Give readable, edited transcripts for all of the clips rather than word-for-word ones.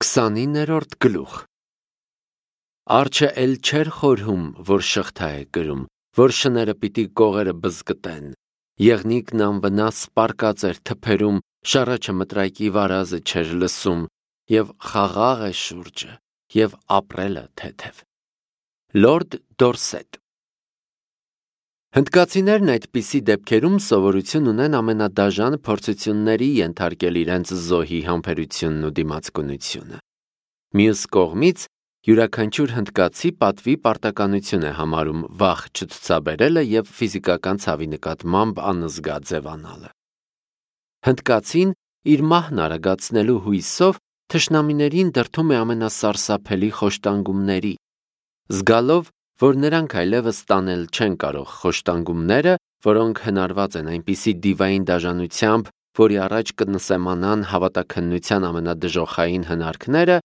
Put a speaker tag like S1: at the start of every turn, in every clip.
S1: 29-րդ գլուխ Արջը էլ չէր խորհում, որ շղթա է կրում, որ շները պիտի կողերը բզկտեն, եղնիկն անվնաս պարկած էր թփերում, շառաչը մտրայկի վարազը չէր լսում, և խաղաղ է շուրջը, և ապրելը թեթև։ Լորդ Դորսետ Հնդկացիներն այդպիսի դեպքերում սովորություն ունեն ամենադաժան փորձությունների ենթարկել իրենց զոհի համբերությունն ու դիմացկունությունը։ Մյուս կողմից, յուրաքանչյուր հնդկացի պատվի պարտականություն է համարում վախ չցուցաբերելը և ֆիզիկական ցավի նկատմամբ անզգա ձևանալը։ Հնդկացին իր մահն արագացնելու հույսով թշնամիներին դրդում է ամենասարսափելի խոշտանգումների, զգալով, որ նրանք այլևս տանել չեն կարող խոշտանգումները, որոնք հնարված են այնպիսի դիվային դաժանությամբ, որի առաջ կնսեմանան հավատաքննության ամենադժոխային հնարքները,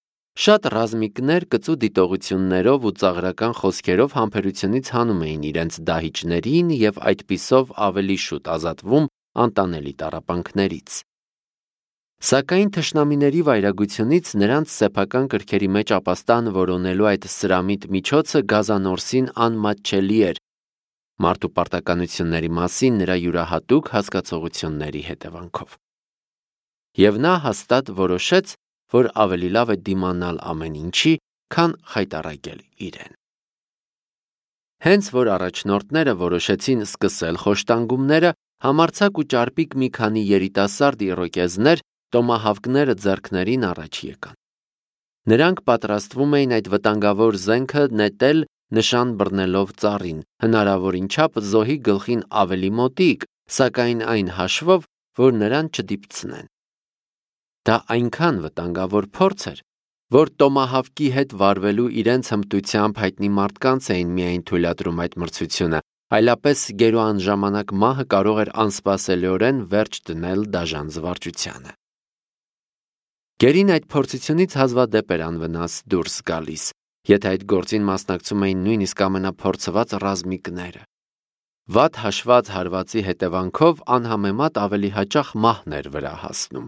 S1: շատ ռազմիկներ կծու դիտողություններով ու ծաղրական խոսքերով համբերությունից հանում էին իրենց դահիճներին և այդպիսով ավելի շուտ ազատվում անտանելի տառապանքներից։ Սակայն թշնամիների վայրագությունից նրանց սեփական կրքերի մեջ ապաստան որոնելու այդ սրամիտ միջոցը գազանորսին անմատչելի էր մարդու պարտականությունների մասին նրա յուրահատուկ հասկացողությունների հետևանքով։ Եվ նա հաստատ որոշեց, որ ավելի լավ է դիմանալ ամեն ինչի, քան խայտառակել իրեն։ Հենց որ առաջնորդները որոշեցին սկսել խոշտանգումները, համարձակ ու ճարպիկ մի քանի երիտասարդ իրոկեզներ տոմահավկները ձեռքներին առաջ եկան։ Նրանք պատրաստվում էին այդ վտանգավոր զենքը նետել նշան բռնելով ծառին, հնարավորին չափ զոհի գլխին ավելի մոտիկ, սակայն այն հաշվով, որ նրան չդիպցնեն։ Դա այնքան վտանգավոր փորձ էր, որ տոմահավկի հետ վարվելու իրենց հմտությամբ հայտնի մարդկանց էին միայն թույլատրում այդ մրցությունը, այլապես գերու անժամանակ մահը կարող էր անսպասելիորեն վերջ դնել դաժան զվարճությանը։ Գերին այդ փորձությունից հազվադեպ էր անվնաս դուրս գալիս, եթե այդ գործին մասնակցում էին նույնիսկ ամենափորձված ռազմիկները։ Վատ հաշված հարվածի հետևանքով անհամեմատ ավելի հաճախ մահն էր վրա հասնում։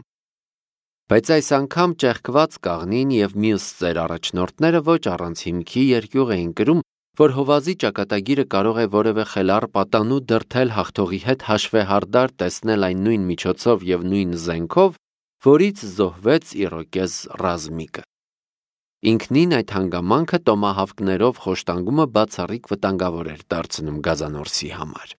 S1: Բայց այս անգամ ճեղքված կաղնին և մյուս ծեր առաջնորդները ոչ առանց հիմքի երկյուղ էին կրում, որ հովազի ճակատագիրը կարող է որևէ խելառ պատանու դրդել հաղթողի հետ հաշվեհարդար տեսնել այն նույն միջոցով և նույն զենքով, որից զոհվեց իրոկեզ ռազմիկը։ Ինքնին այդ հանգամանքը տոմահավկներով խոշտանգումը բացառիկ վտանգավոր էր դարձնում գազանորսի համար։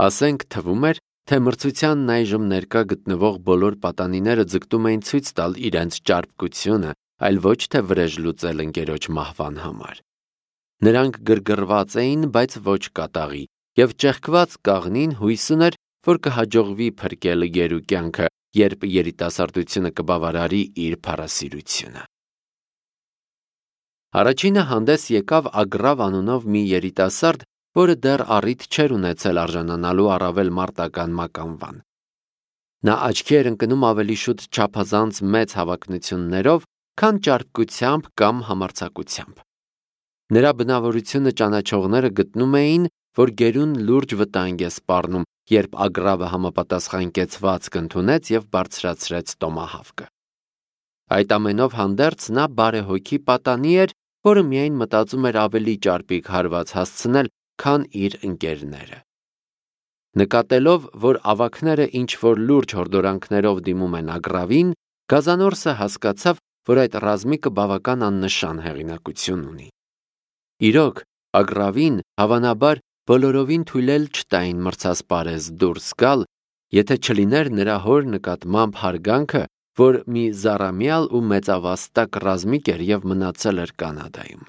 S1: Ասենք թվում էր, թե մրցությանն այժմ ներկա գտնվող բոլոր պատանիները ձգտում էին ցույց տալ իրենց ճարպկությունը, այլ ոչ թե վրեժ լուծել ընկերոջ մահվան համար։ Նրանք գրգռված էին, բայց ոչ կատաղի, և ճեղքված կաղնին հույս ուներ, որ կհաջողվի փրկել գերու կյանքը, երբ երիտասարդությունը կբավարարի իր փառասիրությունը։ Առաջինը հանդես եկավ Ագրավ անունով մի երիտասարդ, որը դեռ առիթ չէր ունեցել արժանանալու առավել մարտական մականվան։ Նա աչքի էր ընկնում ավելի շուտ չափազանց մեծ հավակնություններով, քան ճարպկությամբ կամ համարձակությամբ։ Նրա բնավորությունը ճանաչողները գտնում էին, որ գերուն լուրջ վտանգ է սպառնում, երբ Ագրավը համապատասխան կեցվածք ընդունեց և բարձրացրեց տոմահավկը։ Այդ ամենով հանդերձ նա բարեհոգի պատանի էր, որը միայն մտածում էր ավելի ճարպիկ հարված հասցնել, քան իր ընկերները։ Նկատելով, որ ավագները ինչ-որ լուրջ հորդորանքներով դիմում են Ագրավին, գազանորսը հասկացավ, որ այդ ռազմիկը բավական աննշան հեղինակություն ունի։ Իրոք, Ագրավին հավանաբար բոլորովին թույլ էլ չտային մրցասպարեզ դուրս գալ, եթե չլիներ նրա հոր նկատմամբ հարգանքը, որ մի զառամյալ ու մեծավաստակ ռազմիկ էր և մնացել էր Կանադայում։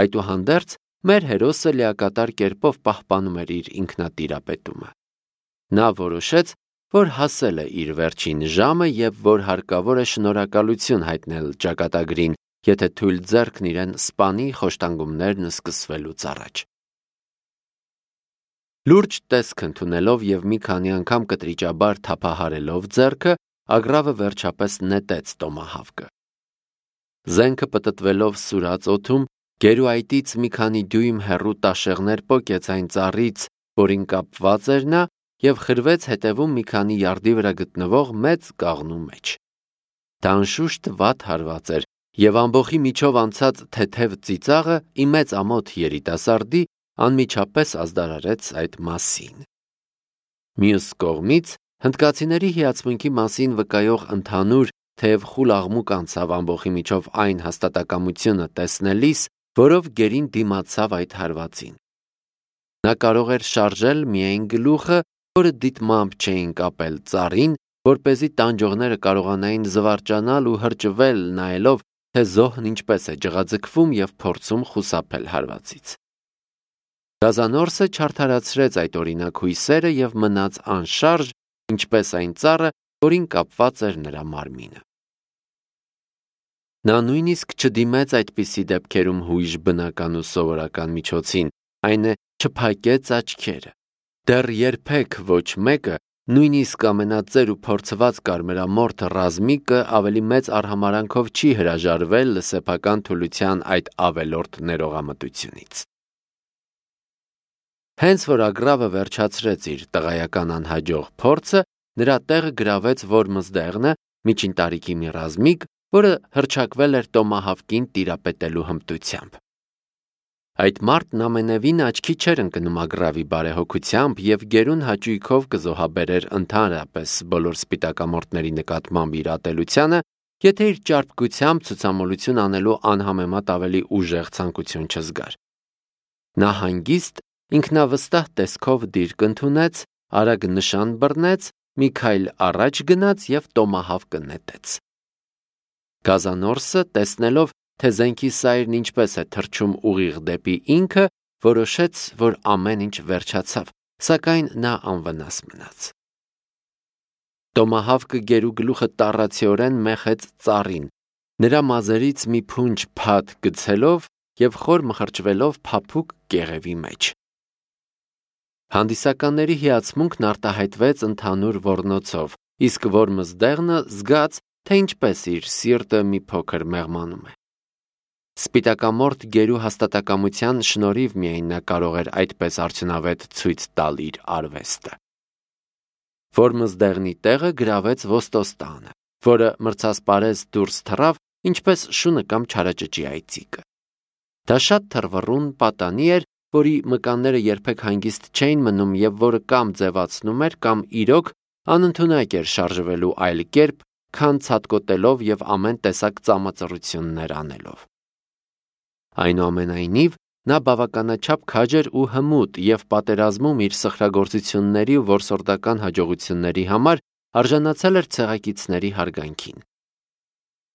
S1: Այդուհանդերձ, մեր հերոսը լիակատար կերպով պահպանում էր իր ինքնատիրապետումը։ Նա որոշեց, որ հասել է իր վերջին ժամը և որ հարկավոր է շնորհակալություն հայտնել ճակատագրին, եթե թույլ ձեռքն իրեն սպանի խոշտանգումներն սկսվելուց առաջ։ Լուրջ տեսք ընդունելով և մի քանի անգամ կտրիճաբար թափահարելով ձեռքը, Ագրավը վերջապես նետեց տոմահավկը։ Զենքը պտտվելով սուրաց օդում, գերու այտից մի քանի դյույմ հեռու տաշեղներ պոկեց այն ծառից, որին կապված էր նա, և խրվեց հետևում մի քանի յարդի վրա գտնվող մեծ կաղնու մեջ։ Դա անշուշտ վատ հարված էր, եւ ամբողջի միջով անցած թեթև ծիծաղը ի մեծ ամոթ երիտասարդի անմիջապես ազդարարեց այդ մասին։ Մյուս կողմից հնդկացիների հիացմունքի մասին վկայող ընդհանուր, թեև խուլ աղմուկ անցավ ամբողջի միջով այն հաստատակամությունը տեսնելիս, որով գերին դիմացավ այդ հարվածին։ Նա կարող էր շարժել միայն գլուխը, որը դիտմամբ չէին կապել ծառին, որպեսզի տանջողները կարողանային զվարճանալ ու հրճվել նայելով, թե զոհն ինչպես է ջղաձգվում եւ փորձում խուսափել հարվածից։ Գազանորսը չարդարացրեց այդ օրինակ հույսերը եւ մնաց անշարժ, ինչպես այն ծառը, որին կապված էր նրա մարմինը։ Նա նույնիսկ չդիմեց այդպիսի դեպքերում հույժ բնական ու սովորական միջոցին, այն է չփակեց աչքերը։ Դեռ երբեք ոչ մեկը, նույնիսկ ամենածեր ու փորձված կարմրամորթ ռազմիկը ավելի մեծ արհամարանքով չի հրաժարվել սեփական թուլության այդ ավելորդ ներողամտությունից։ Հենց որ Ագրավը վերջացրեց իր տղայական անհաջող փորձը, նրա տեղը գրավեց Որմզդեղնը, միջին տարիքի մի ռազմիկ, որը հռչակվել էր տոմահավկին տիրապետելու հմտությամբ։ Այդ մարդն ամենևին աչքի չէր ընկնում Ագրավի բարեհոգությամբ եւ գերուն հաճույքով կզոհաբերեր ընդհանրապես բոլոր սպիտակամորթների նկատմամբ իր ատելությանը, եթե իր ճարպկությամբ ցուցամոլություն անելու անհամեմատ ավելի ուժեղ ցանկություն չզգար։ Նա հանգիստ, ինքնավստահ տեսքով դիրք ընդունեց, արագ նշան բռնեց, մի քայլ առաջ գնաց եւ տոմահավկը նետեց։ Գազանորսը, տեսնելով, թե զենքի սայրն ինչպես է թռչում ուղիղ դեպի ինքը, որոշեց, որ ամեն ինչ վերջացավ, սակայն նա անվնաս մնաց։ Տոմահավկը գերու գլուխը տառացիորեն մեխեց ծառին, նրա մազերից մի փունջ փաթ գցելով եւ խոր մխրճվելով փափուկ կեղևի մեջ։ Հանդիսականների հիացմունքն արտահայտվեց ընդհանուր ոռնոցով, իսկ Որմզդեղնը զգաց, թե ինչպես իր սիրտը մի փոքր մեղմանում է։ Սպիտակամորթ գերու հաստատակամության շնորհիվ միայն նա կարող էր այդպես արդյունավետ ցույց տալ իր արվեստը։ Որմզդեղնի տեղը գրավեց Ոստոստանը, որը մրցասպարեզ դուրս թռավ, ինչպես շունը կամ չարաճճի այծիկը։ Դա շատ թռվռուն պատանի էր, որի մկանները երբեք հանգիստ չէին մնում եւ որը կամ ձևացնում էր, կամ իրոք անընդունակ էր շարժվելու այլ կերպ, քան ցատկոտելով եւ ամեն տեսակ ծամածռություններ անելով։ Այնուամենայնիվ, նա բավականաչափ քաջ էր ու հմուտ եւ պատերազմում իր սխրագործությունների ու որսորդական հաջողությունների համար արժանացել էր ցեղակիցների հարգանքին։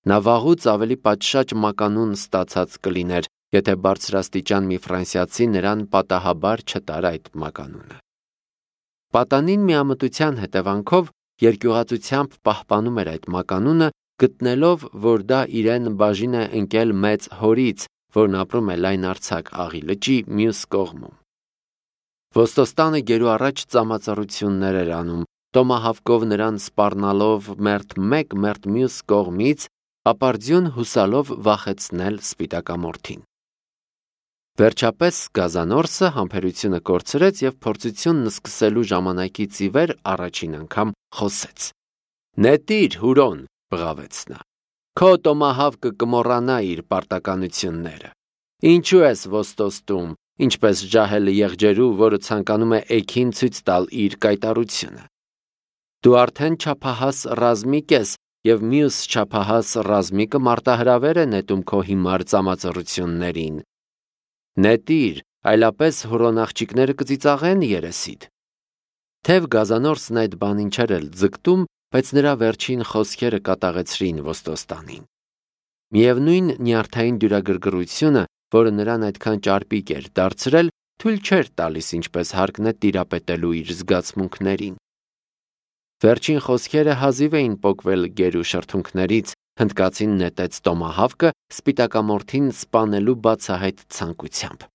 S1: Նա վաղուց ավելի պատշաճ մականուն ստացած կլիներ, եթե բարձրաստիճան մի ֆրանսիացի նրան պատահաբար չտար այդ մականունը։ Պատանին միամտության հետևանքով երկյուղածությամբ պահպանում էր այդ մականունը, գտնելով, որ դա իրեն բաժին է ընկել մեծ հորից, որն ապրում է լայնարձակ Աղի լճի մյուս կողմում։ Ոստոստանը գերու առաջ ծամածռություններ էր անում, տոմահավկով նրան սպառնալով մերթ մեկ, մերթ մյուս կողմից, ապարդյուն հուսալով վախեցնել սպիտակամորթին։ Վերջապես Գազանորսը համբերությունը կորցրեց եւ փորձությունն սկսելու ժամանակից ի վեր առաջին անգամ խոսեց։ «Նետիր, Հուրոն», բղավեց նա, «քո տոմահավկը կմոռանա իր պարտականությունները։ Ինչու ես ոստոստում, ինչպես ջահելը եղջերու, որը ցանկանում է էգին ցույց տալ իր կայտառությունը։ Դու արդեն չափահաս ռազմիկ ես եւ մյուս չափահաս ռազմիկը մարտահրավեր է նետում քո հիմար ծամածռություններին։ Նետիր, այլապես Հուրոն աղջիկները կծիծաղեն երեսիդ»։ Թեև Գազանորսն այդ բանին չէր էլ ձգտում, բայց նրա վերջին խոսքերը կատաղեցրին Ոստոստանին։ Միևնույն նյարդային դյուրագրգռությունը, որը նրան այդքան ճարպիկ էր դարձրել, թույլ չէր տալիս ինչպես հարկն է տիրապետելու իր զգացմունքներին։ Վերջին խոսքերը հազիվ էին պոկվել գերու շրթունքներից, հնդկացին նետեց տոմահավկը սպիտակամորթին սպանելու բացահայտ ցանկությամբ։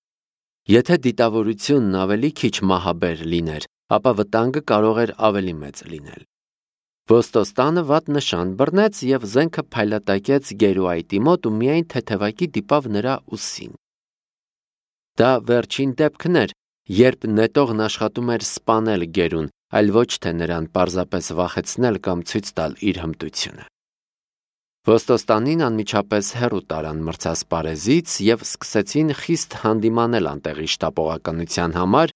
S1: Եթե դիտավորությունն ավելի քիչ մահաբեր լիներ, ապա վտանգը կարող էր ավելի մեծ լինել։ Ոստոստանը վատ նշան բռնեց եւ զենքը փայլատակեց գերու այտի մոտ ու միայն թեթևակի դիպավ նրա ուսին։ Դա վերջին դեպքն էր, երբ նետողն աշխատում էր սպանել գերուն, այլ ոչ թե նրան պարզապես վախեցնել կամ ցույց տալ իր հմտությունը։ Ոստոստանին անմիջապես հեռու տարան մրցասպարեզից և սկսեցին խիստ հանդիմանել անտեղի շտապողականության համար,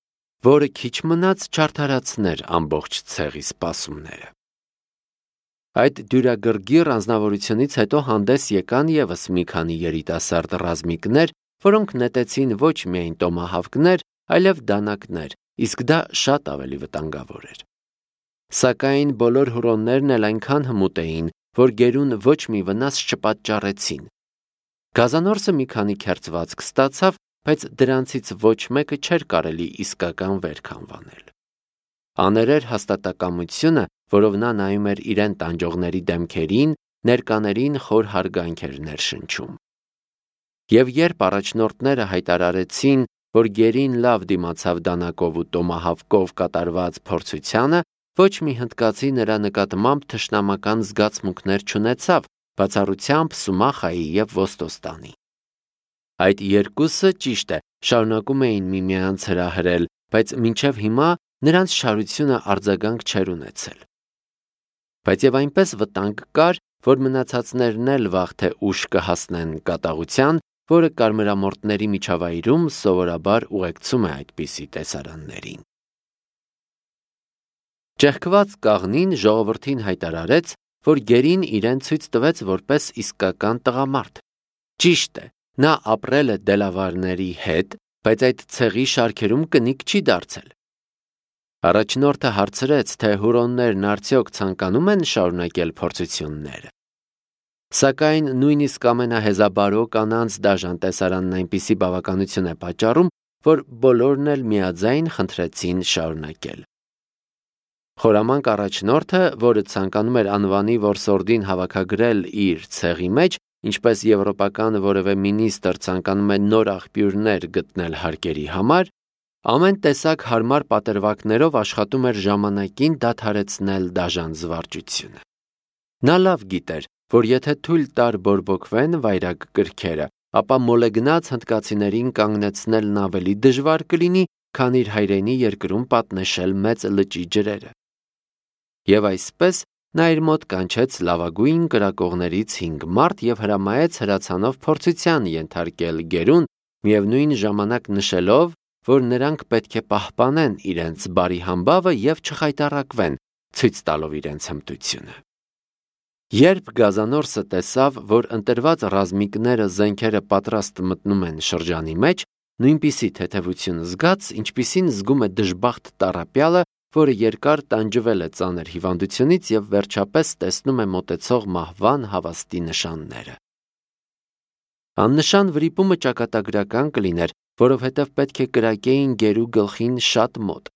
S1: որը քիչ մնաց չարդարացներ ամբողջ ցեղի սպասումները։ Այդ դյուրագրգիռ անձնավորությունից հետո հանդես եկան ևս մի քանի երիտասարդ ռազմիկներ, որոնք նետեցին ոչ միայն տոմահավկներ, այլև դանակներ, իսկ դա շատ ավելի վտանգավոր էր։ Սակայն բոլոր հուրոններն էլ այնքան հմուտ էին, որ գերուն ոչ մի վնաս չպատճառեցին։ Գազանորսը մի քանի քերծվածք ստացավ, բայց դրանցից ոչ մեկը չէր կարելի իսկական վերք անվանել։ Աներեր հաստատակամությունը, որով նա նայում էր իրեն տանջողների դեմքերին, ներկաներին խոր հարգանք էր ներշնչում։ Եվ երբ առաջնորդները հայտարարեցին, որ գերին լավ դիմացավ դանակով ու տոմահավկով կատարված փորձությանը, ոչ մի հնդկացի նրա նկատմամբ թշնամական զգացմունքներ չունեցավ, բացառությամբ Սումախայի և Ոստոստանի։ Այդ երկուսը, ճիշտ է, շարունակում էին միմյանց հրահրել, բայց մինչև հիմա նրանց չարությունը արձագանք չէր ունեցել։ Բայց և այնպես վտանգ կար, որ մնացածներն էլ վաղ թե ուշ կհասնեն կատաղության, որը կարմրամորտների միջավայրում սովորաբար ուղեկցում է այդպիսի տեսարաններին։ Ճեղքված կաղնին ժողովրդին հայտարարեց, որ գերին իրեն ցույց տվեց որպես իսկական տղամարդ։ Ճիշտ է, նա ապրել է դելավարների հետ, բայց այդ ցեղի շարքերում կնիկ չի դարձել։ Առաջնորդը հարցրեց, թե հուրոններն արդյոք ցանկանում են շարունակել փորձությունները։ Սակայն նույնիսկ ամենահեզաբարո կանանց դաժան տեսարանն այնպիսի բավականություն է պատճառում, որ բոլորն էլ միաձայն խնդրեցին շարունակել։ Խորամանկ առաջնորդը, որը ցանկանում էր անվանի որսորդին հավաքագրել իր ցեղի մեջ, ինչպես եվրոպական որևէ մինիստր ցանկանում է նոր աղբյուրներ գտնել հարկերի համար, ամեն տեսակ հարմար պատրվակներով աշխատում էր ժամանակին դադարեցնել դաժան զվարճությունը։ Նա լավ գիտեր, որ եթե թույլ տար բորբոքվեն վայրագ կրքերը, ապա մոլեգնած հնդկացիներին կանգնեցնելն ավելի դժվար կլինի, քան իր հայրենի երկրում պատնեշել մեծ լճի ջրերը։ Եվ այսպես նա իր մոտ կանչեց լավագույն կրակողներից 5 մարդ և հրամայեց հրացանով փորձության ենթարկել գերուն, միևնույն ժամանակ նշելով, որ նրանք պետք է պահպանեն իրենց բարի համբավը և չխայտառակվեն, ցույց տալով իրենց հմտությունը։ Երբ Գազանորսը տեսավ, որ ընտրված ռազմիկները զենքերը պատրաստ մտնում են շրջանի մեջ, նույնպիսի թեթևություն զգաց, ինչպիսին զգում է դժբախտ տառապյալը, որը երկար տանջվել է ծանր հիվանդությունից և վերջապես տեսնում է մոտեցող մահվան հավաստի նշանները։ Աննշան վրիպումը ճակատագրական կլիներ, որովհետև պետք է կրակեին գերու գլխին շատ մոտ։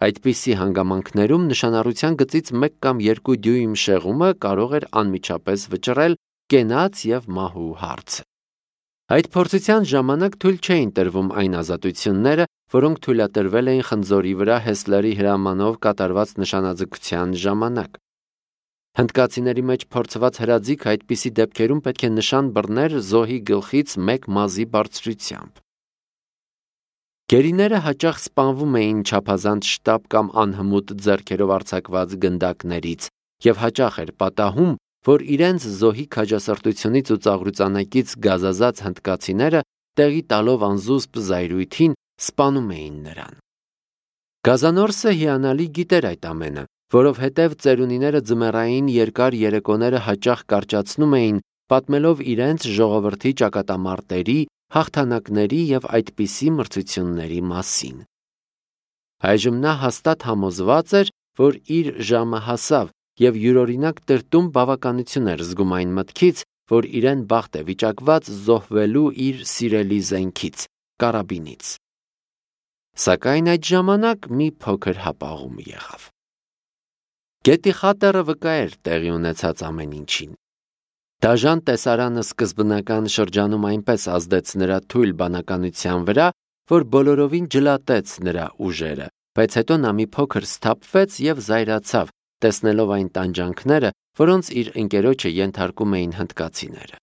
S1: Այդպիսի հանգամանքներում նշանառության գծից 1 կամ 2 դյույմ շեղումը կարող էր անմիջապես վճռել կենաց և մահու հարցը։ Այդ փորձության ժամանակ թույլ չէին տրվում այն ազատությունները, որոնք թույլատրվել էին խնձորի վրա Հեսլերի հրամանով կատարված նշանաձգության ժամանակ։ Հնդկացիների մեջ փորձված հրաձիգ այդպիսի դեպքերում պետք է նշան բռներ զոհի գլխից 1 մազի բարձրությամբ։ Գերիները հաճախ սպանվում էին չափազանց շտապ կամ անհմուտ ձեռքերով արձակված գնդակներից և հաճախ էր պատահում, որ իրենց զոհի քաջասրտությունից ու ծաղրուծանակից գազազած հնդկացիները տեղի տալով անզուսպ զայրույթին սպանում էին նրան։ Գազանորսը հիանալի գիտեր այդ ամենը, որովհետև ծերունիները ձմեռային երկար երեկոները հաճախ կարճացնում էին, պատմելով իրենց ժողովրդի ճակատամարտերի, հաղթանակների և այդպիսի մրցությունների մասին։ Այժմ նա հաստատ համոզված էր, որ իր ժամը հասավ և յուրօրինակ տրտում բավականություն էր զգում այն մտքից, որ իրեն բախտ է վիճակված զոհվելու իր սիրելի զենքից, կարաբինից։ Սակայն այդ ժամանակ մի փոքր հապաղում եղավ։ Գետի խատերը վկա էր տեղի ունեցած ամեն ինչին։ Դաժան տեսարանը սկզբնական շրջանում այնպես ազդեց նրա թույլ բանականության վրա, որ բոլորովին ջլատեց նրա ուժերը, բայց հետո նա մի փոքր սթափվեց և զայրացավ, տեսնելով այն տանջանքները, որոնց իր ընկերոջը ենթարկում էին հնդկացիները։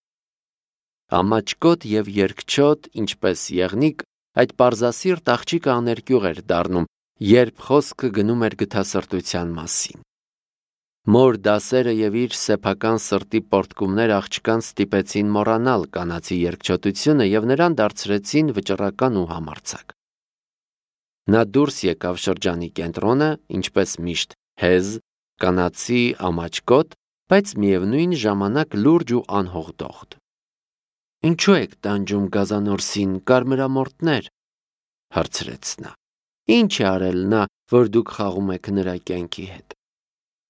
S1: Ամաչկոտ և երկչոտ, ինչպես եղնիկ, այդ պարզասիրտ աղջիկը աներկյուղ էր դառնում, երբ խոսքը գնում էր գթասրտության մասին։ Մոր դասերը եւ իր սեփական սրտի պորտկումներ աղջկան ստիպեցին մոռանալ կանացի երկչոտությունը եւ նրան դարձրեցին վճռական ու համարձակ։ Նա դուրս եկավ շրջանի կենտրոնը, ինչպես միշտ, հեզ, կանացի ամաչկոտ, բայց միևնույն ժամանակ լուրջ ու անհողդողդ։ «Ինչու եք տանջում գազանորսին, կարմրամորտներ», հարցրեց նա։ «Ինչ է արել նա, որ դուք խաղում եք նրա կյանքի հետ։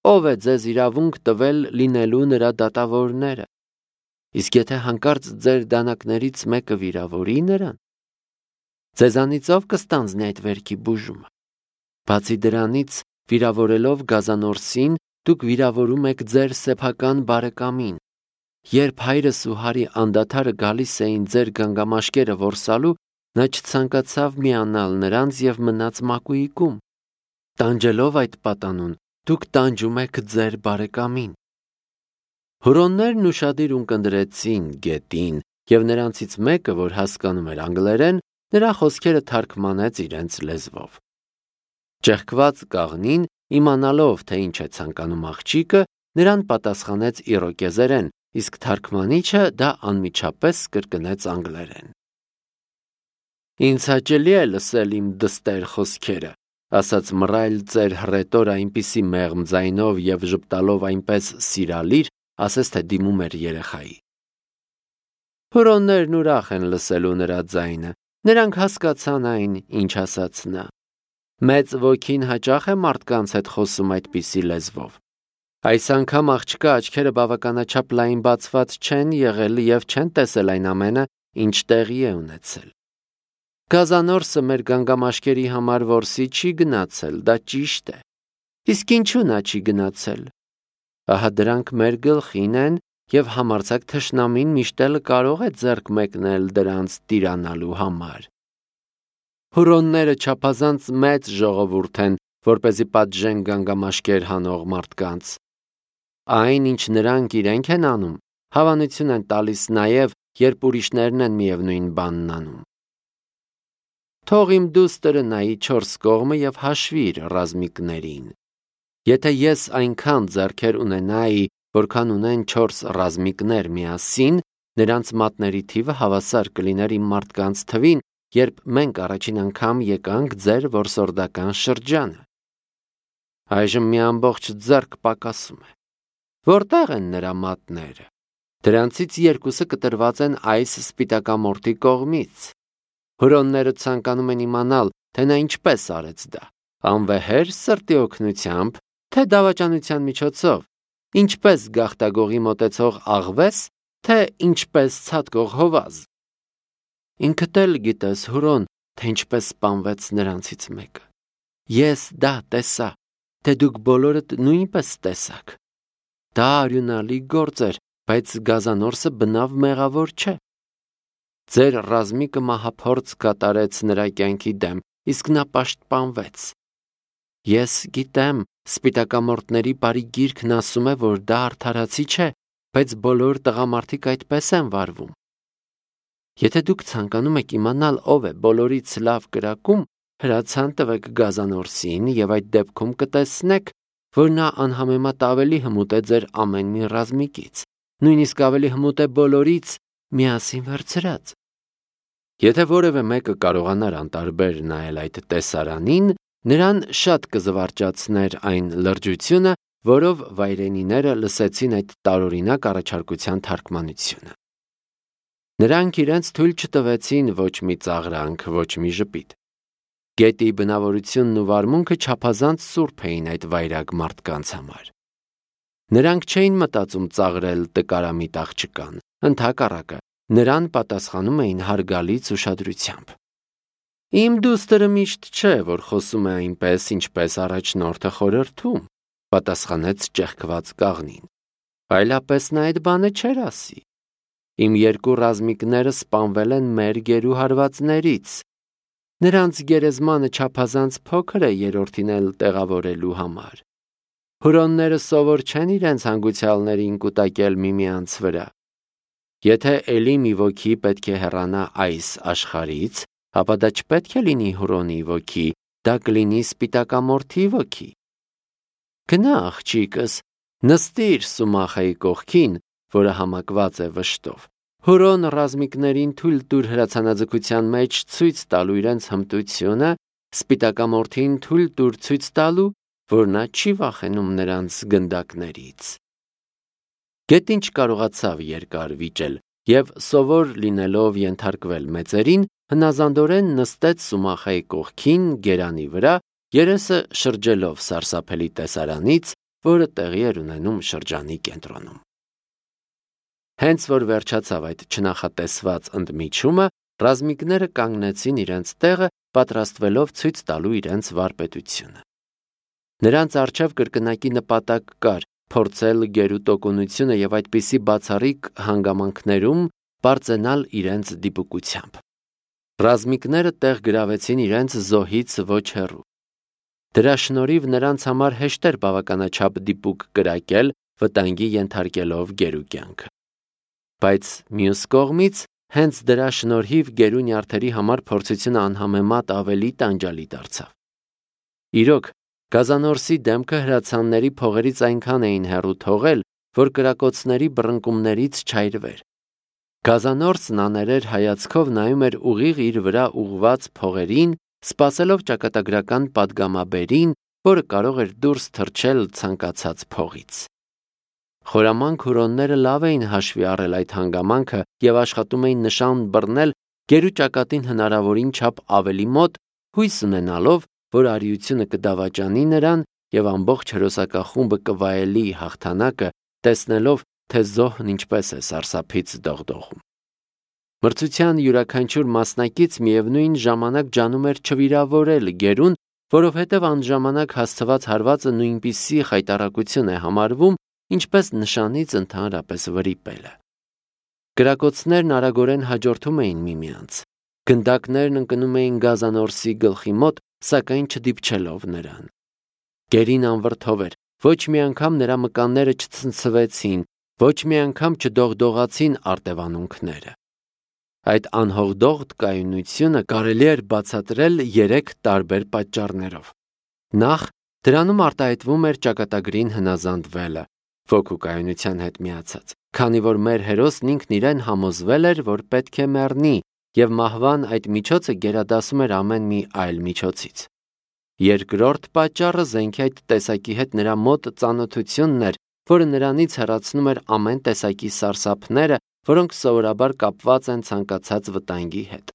S1: Ով է ձեզ իրավունք տվել լինելու նրա դատավորները։ Իսկ եթե հանկարծ ձեր դանակներից մեկը վիրավորի նրան, ձեզանից ով կստանձնի այդ վերքի բուժումը։ Բացի դրանից, վիրավորելով գազանորսին, դուք վիրավորում եք ձեր սեփական բարեկամին։ Երբ հայրս ու Հարի անդադարը գալիս էին ձեր գանգամաշկերը որսալու, նա չցանկացավ միանալ նրանց եւ մնաց մակույիկում։ Տանջելով այդ պատանուն, դուք տանջում եք ձեր բարեկամին»։ Հուրոններն ուշադիր ունկնդրեցին գետին, եւ նրանցից մեկը, որ հասկանում էր անգլերեն, նրա խոսքերը թարգմանեց իրենց լեզվով։ Ճեղքված կաղնին, իմանալով, թե ինչ է ցանկանում աղջիկը, նրան պատասխանեց իրոկեզերեն, իսկ թարգմանիչը դա անմիջապես կրկնեց անգլերեն։ «Ինձ հաճելի է լսել իմ դստեր խոսքերը», ասաց մռայլ ծեր հռետորը այնպիսի մեղմ ձայնով եւ ժպտալով այնպես սիրալիր, ասես թե դիմում էր երեխայի։ Հուրոններն ուրախ են լսելու նրա ձայնը, նրանք հասկացան այն, ինչ ասաց նա։ Մեծ ոգին հաճախ է մարդկանց հետ խոսում այդպիսի լեզվով։ Այս անգամ աղջկա աչքերը բավականաչափ լայն բացված չեն եղել եւ չեն տեսել այն ամենը, ինչ տեղի է ունեցել։ Գազանորսը մեր գանգամաշկերի համար որսի չի գնացել, դա ճիշտ է։ Իսկ ինչու նա չի գնացել։ Ահա դրանք մեր գլխին են եւ համարձակ թշնամին միշտ էլ կարող է ձեռք մեկնել դրանց տիրանալու համար։ Հուրոնները չափազանց մեծ ժողովուրդ են, որպեսզի պատժեն գանգամաշկեր հանող մարդկանց։ Այն, ինչ նրանք իրենք են անում, հավանություն են տալիս նաեւ, երբ ուրիշներն են միևնույն բանն անում։ Թող իմ դուստրը նայի 4 կողմը եւ հաշվի իր ռազմիկներին։ Եթե ես այնքան ձեռքեր ունենայի, որքան ունեն 4 ռազմիկներ միասին, նրանց մատների թիվը հավասար կլիներ իմ մարդկանց թվին, երբ մենք առաջին անգամ եկանք ձեր որսորդական շրջանը։ Այժմ մի ամբողջ ձեռք պակասում է։ Որտեղ են նրա մատները։ Դրանցից 2-ը կտրված են այս սպիտակամորթի կողմից։ Հուրոնները ցանկանում են իմանալ, թե նա ինչպես արեց դա, անվեհեր սրտի օգնությամբ, թե դավաճանության միջոցով, ինչպես գաղտագողի մոտեցող աղվես, թե ինչպես ցատկող հովազ։ Ինքդ էլ գիտես, Հուրոն, թե ինչպես սպանվեց նրանցից մեկը։ Ես դա տեսա, թե դուք բոլորդ նույնպես տեսաք։ Դա արյունալի գործ էր, բայց գազանորսը բնավ մեղավոր չէ։ Ձեր ռազմիկը մահափորձ կատարեց նրա կյանքի դեմ, իսկ նա պաշտպանվեց։ Ես գիտեմ, սպիտակամորտների բարի գիրքն ասում է, որ դա արդարացի չէ, բայց բոլոր տղամարդիկ այդպես են վարվում։ Եթե դուք ցանկանում եք իմանալ ով է բոլորից լավ կրակում, հրացան տվեք գազանորսին եւ այդ դեպքում կտեսնեք, որ նա անհամեմատ ավելի հմուտ է ձեր ամեն մի ռազմիկից, նույնիսկ ավելի հմուտ է բոլորից միասին վերցրած։ Եթե որևէ մեկը կարողանար անտարբեր նայել այդ տեսարանին, նրան շատ կզվարճացներ այն լրջությունը, որով վայրենիները լսեցին այդ տարօրինակ առաջարկության թարգմանությունը։ Նրանք իրենց թույլ չտվեցին ոչ մի ծաղրանք, ոչ մի ժպիտ։ Գետի բնավորությունն ու վարմունքը չափազանց սուրբ էին այդ վայրագ մարդկանց համար։ Նրանք չէին մտածում ծաղրել տկարամիտ աղջկան, ընդհակառակը, նրան պատասխանում էին հարգալից ուշադրությամբ։ Իմ դուստրը միշտ չէ, որ խոսում է այնպես, ինչպես առաջնորդը խորհրդում, պատասխանեց ճեղքված կաղնին։ Այլապես նա այդ բանը չէր ասի։ Իմ 2 ռազմիկները սպանվել են մեր գերուհարվածներից։ Նրանց գերեզմանը չափազանց փոքր է երրորդին էլ տեղավորելու համար։ Հուրոնները սովոր չեն իրենց հանգուցյալներին կուտակել միմյանց վրա։ Եթե էլի մի ոգի պետք է հեռանա այս աշխարհից, ապա դա չպետք է լինի Հուրոնի ոգի, դա կլինի սպիտակամորթի ոգի։ Գնա, աղջիկս, Նստիր Սումախայի կողքին, որը համակված է վշտով։ Հուրոն ռազմիկներին թույլ տուր հրացանաձգության մեջ ցույց տալու իրենց հմտությունը, սպիտակամորթին թույլ տուր ցույց տալու, որ նա չի վախենում նրանց գնդակներից։ Գետին չկարողացավ երկար վիճել և սովոր լինելով ենթարկվել մեծերին, հնազանդորեն նստեց Սումախայի կողքին գերանի վրա, երեսը շրջելով սարսափելի տեսարանից, որը տեղի էր ունենում շրջանի կենտրոնում։ Հենց որ վերջացավ այդ չնախատեսված ընդմիջումը, ռազմիկները կանգնեցին իրենց տեղը, պատրաստվելով ցույց տալու իրենց վարպետությունը։ Նրանց առջև կրկնակի նպատակ կար փորձել գերու տոկունությունը և այդպիսի բացառիկ հանգամանքներում բարձենալ իրենց դիպուկությամբ։ Ռազմիկները տեղ գրավեցին իրենց զոհից ոչ հեռու։ Դրա շնորհիվ նրանց համար հեշտ էր բավականաչափ դիպուկ կրակել, վտանգի ենթարկելով գերու կյանքը։ Բայց մյուս կողմից, հենց դրա շնորհիվ գերու նյարդերի համար փորձությունը անհամեմատ ավելի տանջալի դարձավ։ Իրոք, Գազանորսի դեմքը հրացանների փողերից այնքան էին հեռու թողել, որ կրակոցների բռնկումներից չայրվեր։ Գազանորսն աներեր հայացքով նայում էր ուղիղ իր վրա ուղված փողերին, սպասելով ճակատագրական պատգամաբերին, որը կարող էր դուրս թռչել ցանկացած փողից։ Խորամանկ հուրոնները լավ էին հաշվի առել այդ հանգամանքը և աշխատում էին նշան բռնել գերու ճակատին հնարավորին չափ ավելի մոտ, հույս ունենալով, որ արիությունը կդավաճանի նրան և ամբողջ հրոսակախումբը կվայելի հաղթանակը, տեսնելով, թե զոհն ինչպես է սարսափից դողդողում։ Մրցության յուրաքանչյուր մասնակից միևնույն ժամանակ ջանում էր չվիրավորել գերուն, որովհետև անժամանակ հասցված հարվածը նույնպիսի խայտառակություն է համարվում, ինչպես նշանից ընդհանրապես վրիպելը։ Կրակոցներն արագորեն հաջորդում էին միմյանց։ Գնդակներն ընկնում էին Գազանորսի գլխի մոտ, սակայն չդիպչելով նրան։ Գերին անվրդով էր, ոչ մի անգամ նրա մկանները չցնցվեցին, ոչ մի անգամ չդողդողացին արտևանունքները։ Այդ անհողդողդ կայունությունը կարելի էր բացատրել 3 տարբեր պատճառներով։ Նախ, դրանում արտահայտվում էր ճակատագրին հնազանդվելը, ոգու կայունության հետ միացած, քանի որ մեր հերոսն ինքն իրեն համոզվել էր, որ պետք է մեռնի, և մահվան այդ միջոցը գերադասում էր ամեն մի այլ միջոցից։ Երկրորդ պատճառը զենքի այդ տեսակի հետ նրա մոտ ծանոթությունն էր, որը նրանից հեռացնում էր ամեն տեսակի սարսափները, որոնք սովորաբար կապված են ցանկացած վտանգի հետ։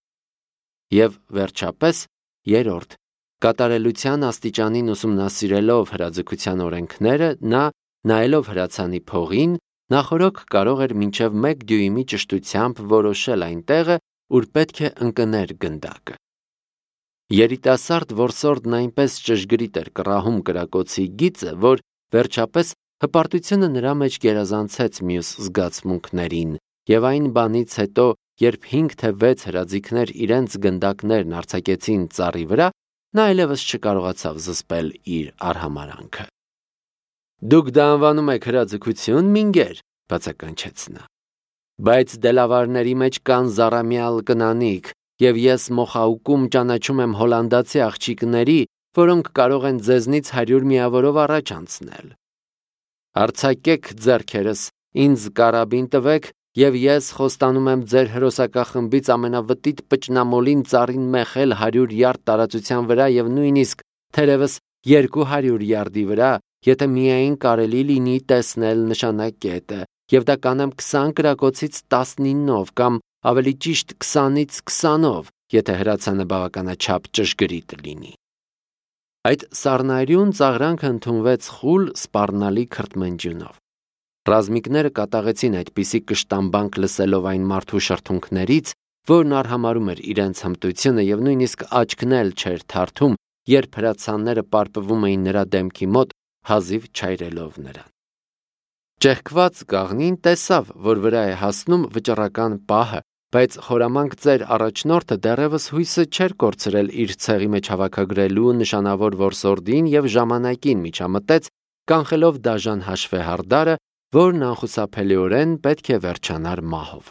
S1: Եվ վերջապես, երրորդ, կատարելության աստիճանին ուսումնասիրելով հրաձգության օրենքները, նա, նայելով հրացանի փողին, նախօրոք կարող էր մինչև 1 դյույմի ճշտությամբ որոշել այն տեղը, ուր պետք է ընկներ գնդակը։ Երիտասարդ որսորդն այնպես ճշգրիտ էր կռահում կրակոցի գիծը, որ վերջապես հպարտությունը նրա մեջ գերազանցեց մյուս զգացմունքներին, և այն բանից հետո, երբ 5 թե 6 հրաձիգներ իրենց գնդակներն արձակեցին ծառի վրա, նա այլևս չկարողացավ զսպել իր արհամարանքը։ «Դուք դա անվանում եք հրաձգություն, մինգեր», բացականչեց նա։ «Բայց դելավարների մեջ կան զառամյալ կնանիք, և ես Մոխաուկում ճանաչում եմ հոլանդացի աղջիկների, որոնք կարող են ձեզնից 100 միավորով առաջ անցնել։ Արձակեք ձեռքերս, ինձ կարաբին տվեք, և ես խոստանում եմ ձեր հրոսակախմբից ամենավտիտ պճնամոլին ծառին մեխել 100 յարդ տարածության վրա և նույնիսկ, թերևս 200 յարդի վրա, եթե միայն կարելի լինի տեսնել նշանակետը, և դա կանեմ 20 կրակոցից 19-ով կամ ավելի ճիշտ 20-ից 20-ով, եթե հրացանը բավականաչափ ճշգրիտ լինի»։ Այդ սառնայրուն ծաղրանքը ընդունվեց խուլ սպառնալի քրթմնջյունով։ Ռազմիկները կատաղեցին այդպիսի կշտամբանք լսելով այն մարդու շրթունքներից, որն արհամարհում էր իրենց հմտությունը և նույնիսկ աչքն էլ չէր թարթում, երբ հրացանները պարպվում էին նրա դեմքի մոտ, հազիվ չայրելով նրան։ Ճեղքված կաղնին տեսավ, որ վրա է հասնում վճռական պահը, բայց խորամանկ ծեր առաջնորդը դեռևս հույսը չէր կորցրել իր ցեղի մեջ հավաքագրելու նշանավոր որսորդին և ժամանակին միջամտեց, կանխելով դաժան հաշվեհարդարը, որն անխուսափելիորեն պետք է վերջանար մահով։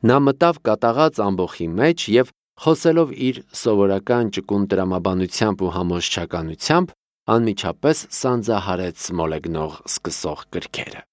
S1: Նա մտավ կատաղած ամբոխի մեջ և, խոսելով իր սովորական ճկուն տրամաբանությամբ ու համոզչականությամբ, անմիջապես սանձահարեց մոլեգնող սկսող գրքերը։